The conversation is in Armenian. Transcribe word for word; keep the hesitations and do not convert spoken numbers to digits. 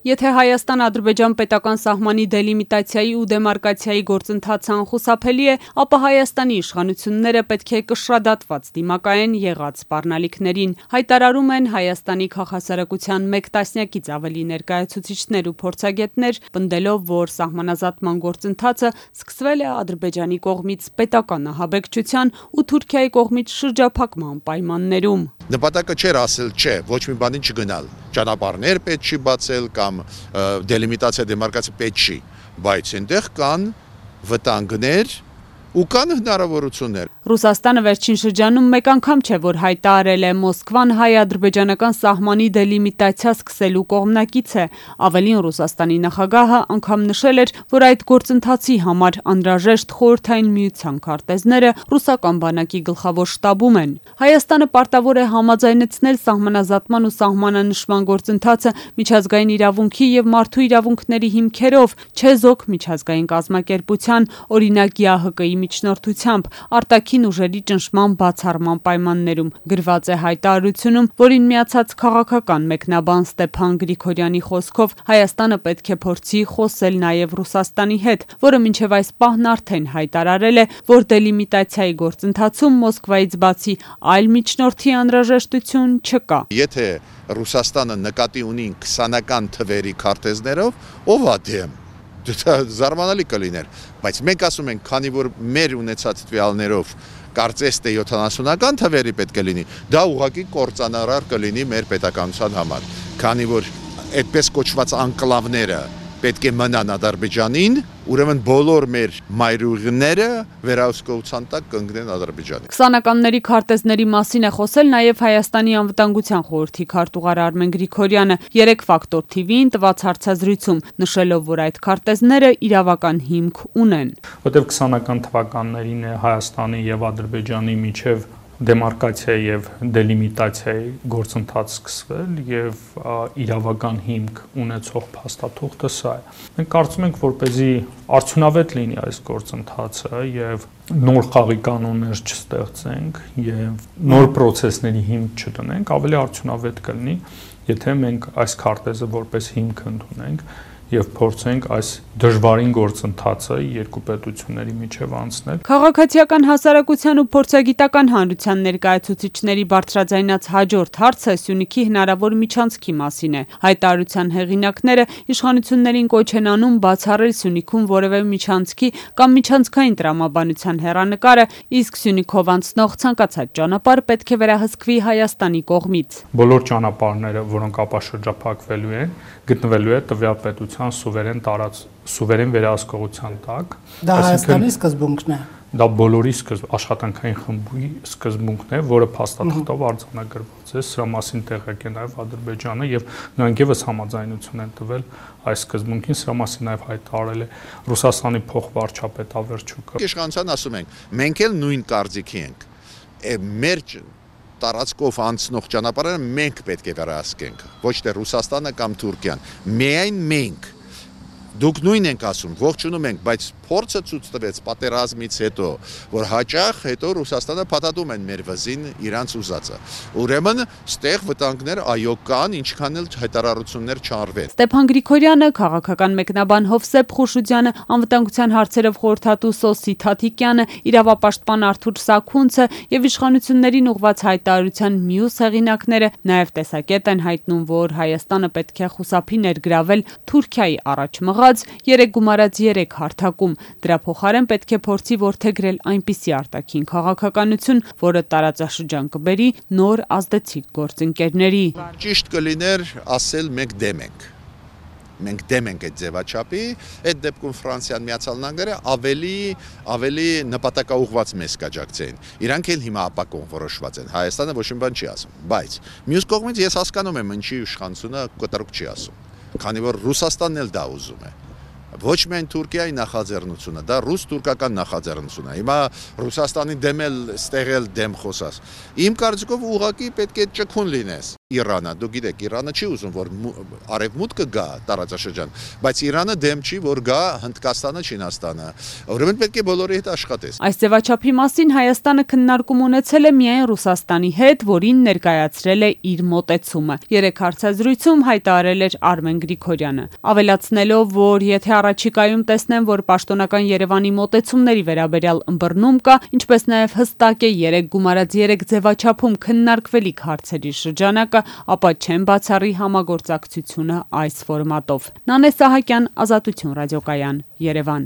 Եթե Հայաստան-Ադրբեջան պետական սահմանի դելիմիտացիայի ու դեմարկացիայի գործընթացը անխուսափելի է, ապա Հայաստանի իշխանությունները պետք է կշռադատված դիմակայեն եղած սպառնալիքներին, հայտարարում են Հայաստանի քաղաքասարակության մեկ տասնյակից ավելի ներկայացուցիչներ ու փորձագետներ, պնդելով, որ սահմանազատման գործընթացը սկսվել է Ադրբեջանի կողմից պետական ահաբեկչության ու Թուրքիայի կողմից շրջափակման պայմաններում։ Նպատակը չէր ասել չէ, ոչ մի բանի չգնալ, ճանապարհներ պետք չի բացել կամ դելիմիտացիա դեմարկացիա պետք չի, բայց այնտեղ կան վտանգներ ու կան հնարավորություններ։ Ռուսաստանը վերջին շրջանում մեկ անգամ չէ, որ հայտարարել է Մոսկվան հայ-ադրբեջանական սահմանի դելիմիտացիա սկսելու կողմնակից է։ Ավելին, Ռուսաստանի նախագահը անգամ նշել էր, որ այդ գործընթացի համար անհրաժեշտ խորհրդային միության քարտեզները ռուսական բանակի գլխավոր շտաբում են։ Հայաստանը պարտավոր է համաձայնեցնել սահմանազատման ու սահմանանշման գործընթացը միջազգային իրավունքի եւ մարդու իրավունքների հիմքերով, չեզոք միջազգային կազմակերպության, օրինակ ԵԱՀԿ-ի միջնորդությամբ, արտաքին ուժերի ճնշման բացառման պայմաններում, գրված է հայտարարությունում, որին միացած քաղաքական մեկնաբան Ստեփան Գրիգորյանի խոսքով Հայաստանը պետք է փորձի խոսել նաև Ռուսաստանի հետ, որը մինչև այս պահն արդեն հայտարարել է, որ դելիմիտացիայի գործընթացում Մոսկվայից բացի այլ միջնորդի անհրաժեշտություն չկա։ Եթե Ռուսաստանը նկատի ունի քսանական թվերի քարտեզներով, ով է դեմ։ Դա զարմանալի կլիներ, բայց մենք ասում ենք, քանի որ մեր ունեցած տվյալներով կարծես թե յոթանասունական թվերի պետք է լինի, դա ուղղակի կործանարար կլինի մեր պետականության համար, քանի որ այդպես կոչված անկլավները պետք է մնան Ադրբեջանին, ուրեմն բոլոր մեր մայրուղիները վերահսկողության տակ կընկնեն Ադրբեջանի։ Քսանականների քարտեզների մասին է խոսել նաև Հայաստանի անվտանգության խորհրդի քարտուղար Արմեն Գրիգորյանը երեք ֆակտոր թիվիին տված հարցազրույցում, նշելով, որ այդ քարտեզները իրավական հիմք ունեն։ Որտեղ քսանական թվականներին է Հայաստանի եւ Ադրբեջանի միջև դեմարկացիա եւ դելիմիտացիայի գործընթաց սկսվել եւ իրավական հիմք ունեցող փաստաթուղթը սա է։ Մենք կարծում ենք, որպեսզի արդյունավետ լինի այս գործընթացը եւ նոր խաղի կանոններ չստեղծենք եւ նոր process-ների հիմք չդնենք, ավելի արդյունավետ կլինի, եթե մենք այս քարտեզը որպես հիմք ընդունենք եւ փորձենք այս դժվարին գործընթացը երկու պետությունների միջև անցնել։ Քաղաքացիական հասարակության ու փորձագիտական հանրության ներկայացուցիչների բարձրաձայնած հաջորդ հարցը Սյունիքի հնարավոր միջանցքի մասին է։ Հայտարարության հեղինակները իշխանություններին կոչ են անում բացառել Սյունիքում որևէ միջանցքի կամ միջանցքային տրամաբանության հեռանկարը, իսկ Սյունիքով անցնող ցանկացած ճանապարհ պետք է վերահսկվի Հայաստանի կողմից։ Բոլոր ճանապարհները, որոնք ապա շրջափակվելու են, գտնվելու է տվյալ պետության սուվերեն տարած սուվերեն վերահսկողության տակ։ Դա Հայաստանի սկզբունքն է։ Դա բոլորի սկզբ աշխատանքային խմբի սկզբունքն է, որը փաստաթղթով արձանագրված է, սրա մասին տեղյակ է նաև Ադրբեջանը եւ նրանք եւս համաձայնություն են տվել այս սկզբունքին, սրա մասին նաև հայտարարել է Ռուսաստանի փոխվարչապետ Ավերչուկը։ Իշխանության ասում ենք, մենք էլ նույն կարծիքի ենք։ Մեր տարածքով անցնող ճանապարհները մենք պետք է վերահսկենք, ոչ թե Ռուսաստանը կամ Թուրքիան, միայն մենք։ Դուք նույն ենք ասում, ողջունում ենք, բայց փորձը ցույց տվեց պատերազմից հետո, որ հաճախ հետո Ռուսաստանը փաթաթում են մեր վզին իրանց ուզածը։ Ուրեմն, ստեղ վտանգներ այո կան, ինչքան էլ հայտարարություններ չարվեն։ Ստեփան Գրիգորյանը, քաղաքական մեկնաբան Հովսեփ Խուշուձյանը, անվտանգության հարցերով խորհրդատու Սոսի Թաթիկյանը, իրավապաշտպան Արթուր Սաքունցը եւ իշխանություններին ուղղված հայտարարության մյուս հեղինակները նաև տեսակետ են հայտնում, որ Հայաստանը պետք է խուսափի ներգրավել Թուրքիայի առաջ մղած երեք գումարած երեք հարթակում։ Դրա փոխարեն պետք է փորձի որդեգրել այնպիսի արտաքին քաղաքականություն, որը տարածաշրջան կբերի նոր ազդեցիկ գործընկերների։ Ճիշտ կլիներ ասել մենք դեմ ենք։ Մենք դեմ ենք այդ ձևաչափի, այդ դեպքում Ֆրանսիան, Միացյալ Նահանգները ավելի ավելի նպատակաուղղված մեզ կաջակցեն։ Իրանք էլ հիմա ապակոն որոշված են։ Հայաստանը ոչ մի բան չի ասում, բայց մյուս կողմից ես հասկանում եմ ինչի իշխանությունը կտրուկ չի ասում, քանի որ Ռուսաստանն էլ դա ուզում է։ Ոչ միայն Թուրքիայի նախաձեռնությունը, դա ռուս-թուրքական նախաձեռնություն է։ Հիմա Ռուսաստանի դեմ էլ ստեղել դեմ խոսած։ Իմ կարծիքով ուղղակի պետք է ճկուն լինես։ Իրանը, դու գիտեք, Իրանը չի ուզում, որ արևմուտքը գա տարածաշրջան, բայց Իրանը դեմ չի, որ գա Հնդկաստանը, Չինաստանը։ Ուրեմն պետք է բոլորի հետ աշխատես։ Այս ձևաչափի մասին Հայաստանը քննարկում ունեցել է միայն Ռուսաստանի հետ, որին ներկայացրել է իր մոտեցումը։ Երեք հարցազրույցում հայտարարել էր Արմեն Գրիգորյանը, ավելացնելով, որ եթե առաջիկայում տեսնեն, որ պաշտոնական Երևանի մոտեցումների վերաբերյալ ըմբռնում կա, ինչպես նաև հստակ է երեք գումարած երեք ձևաչափում քննարկվելիք հարցերի շրջանակը, ապա չեն բացառի համագործակցությունը այս ֆորմատով։ Նանե Սահակյան, Ազատություն ռադիոկայան, Երևան։